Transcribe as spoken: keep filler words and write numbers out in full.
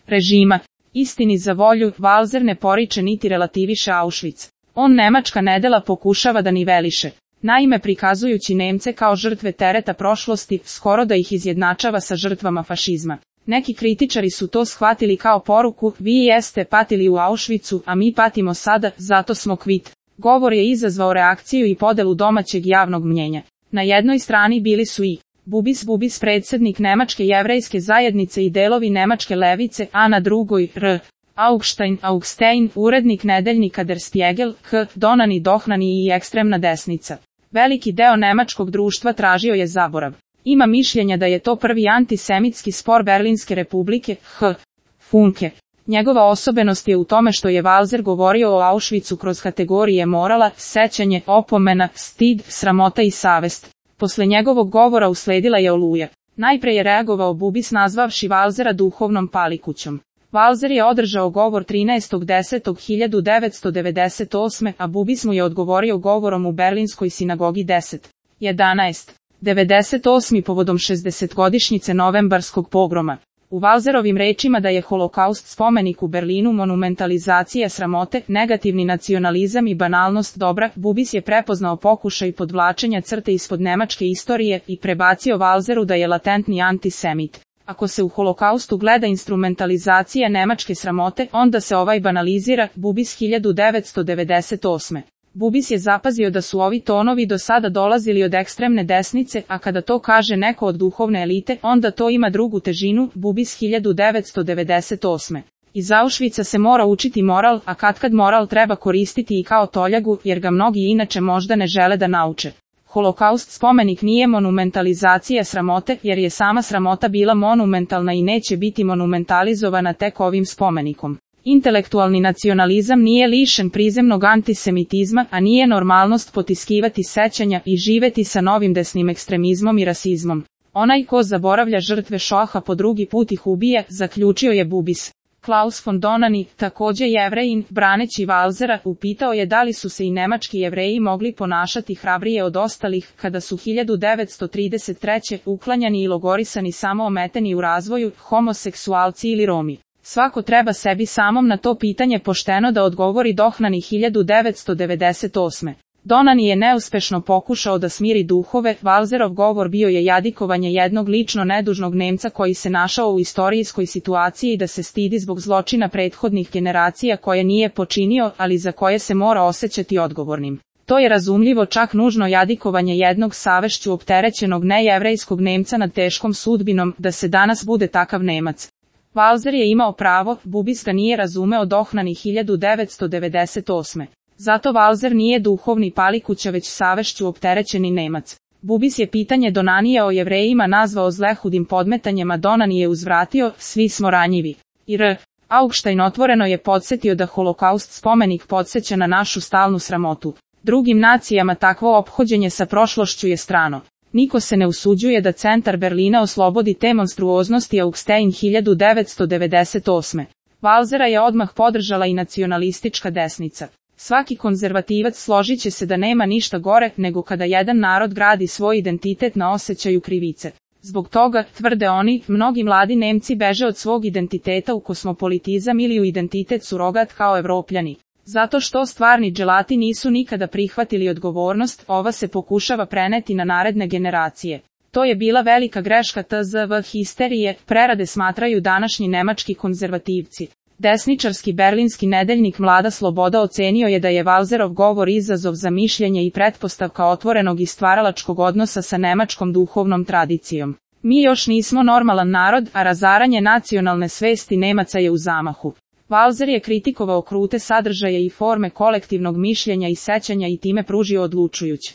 režima. Istini za volju, Walser ne poriče niti relativiše Auschwitz. On nemačka nedela pokušava da niveliše. Naime, prikazujući Nemce kao žrtve tereta prošlosti, skoro da ih izjednačava sa žrtvama fašizma. Neki kritičari su to shvatili kao poruku, vi jeste patili u Auschwitzu, a mi patimo sada, zato smo kvit. Govor je izazvao reakciju i podelu domaćeg javnog mnjenja. Na jednoj strani bili su i Bubis Bubis, predsjednik Nemačke jevrejske zajednice i delovi nemačke levice, a na drugoj R. Augstein Augstein, urednik nedeljnika Der Spiegel, H. Donani Dohnani i ekstremna desnica. Veliki deo nemačkog društva tražio je zaborav. Ima mišljenja da je to prvi antisemitski spor Berlinske republike, H. Funke. Njegova osobenost je u tome što je Walser govorio o Auschwitzu kroz kategorije morala, sećanje, opomena, stid, sramota i savest. Posle njegovog govora usledila je oluja. Najpre je reagovao Bubis nazvavši Walsera duhovnom palikućom. Walser je održao govor trinaestog desetog hiljadu devetsto devedeset osme. a Bubis mu je odgovorio govorom u Berlinskoj sinagogi deset jedanaest devedeset osme povodom šezdesetogodišnjice novembarskog pogroma. U Walserovim rečima da je holokaust spomenik u Berlinu monumentalizacija sramote, negativni nacionalizam i banalnost dobra, Bubis je prepoznao pokušaj podvlačenja crte ispod nemačke istorije i prebacio Walseru da je latentni antisemit. Ako se u holokaustu gleda instrumentalizacija nemačke sramote, onda se ovaj banalizira, Bubis hiljadu devetsto devedeset osme. Bubis je zapazio da su ovi tonovi do sada dolazili od ekstremne desnice, a kada to kaže neko od duhovne elite, onda to ima drugu težinu, Bubis hiljadu devetsto devedeset osme. Iz Auschwitza se mora učiti moral, a katkad moral treba koristiti i kao toljagu, jer ga mnogi inače možda ne žele da nauče. Holokaust spomenik nije monumentalizacija sramote, jer je sama sramota bila monumentalna i neće biti monumentalizovana tek ovim spomenikom. Intelektualni nacionalizam nije lišen prizemnog antisemitizma, a nije normalnost potiskivati sećanja i živeti sa novim desnim ekstremizmom i rasizmom. Onaj ko zaboravlja žrtve Šoha po drugi put ih ubija, zaključio je Bubis. Klaus von Donani, takođe Jevrejin, braneći Walsera, upitao je da li su se i nemački Jevreji mogli ponašati hrabrije od ostalih, kada su hiljadu devetsto trideset treće uklanjani i logorisani samo ometeni u razvoju, homoseksualci ili Romi. Svako treba sebi samom na to pitanje pošteno da odgovori Dohnani hiljadu devetsto devedeset osme. Donani je neuspešno pokušao da smiri duhove, Walserov govor bio je jadikovanje jednog lično nedužnog Nemca koji se našao u istorijskoj situaciji i da se stidi zbog zločina prethodnih generacija koje nije počinio, ali za koje se mora osjećati odgovornim. To je razumljivo, čak nužno jadikovanje jednog savešću opterećenog nejevrejskog Nemca nad teškom sudbinom, da se danas bude takav Nemac. Walser je imao pravo, Bubis ga nije razumeo Dohnani hiljadu devetsto devedeset osme. Zato Walser nije duhovni palikuća već savešću opterećeni Nemac. Bubis je pitanje Donanija o Jevrejima nazvao zlehudim podmetanjem, a Donani je uzvratio, svi smo ranjivi. I R. Augstein otvoreno je podsjetio da holokaust spomenik podsjeća na našu stalnu sramotu. Drugim nacijama takvo ophođenje sa prošlošću je strano. Niko se ne usuđuje da centar Berlina oslobodi te monstruoznosti. Augstein hiljadu devetsto devedeset osme. Walsera je odmah podržala i nacionalistička desnica. Svaki konzervativac složit će se da nema ništa gore nego kada jedan narod gradi svoj identitet na osjećaju krivice. Zbog toga, tvrde oni, mnogi mladi Nemci beže od svog identiteta u kosmopolitizam ili u identitet surogat kao Evropljani. Zato što stvarni dželati nisu nikada prihvatili odgovornost, ova se pokušava preneti na naredne generacije. To je bila velika greška T Z V histerije, prerade smatraju današnji nemački konzervativci. Desničarski berlinski nedeljnik Mlada sloboda ocenio je da je Walserov govor izazov za mišljenje i pretpostavka otvorenog i stvaralačkog odnosa sa nemačkom duhovnom tradicijom. Mi još nismo normalan narod, a razaranje nacionalne svesti Nemaca je u zamahu. Walser je kritikovao krute sadržaje i forme kolektivnog mišljenja i sećanja i time pružio odlučujuć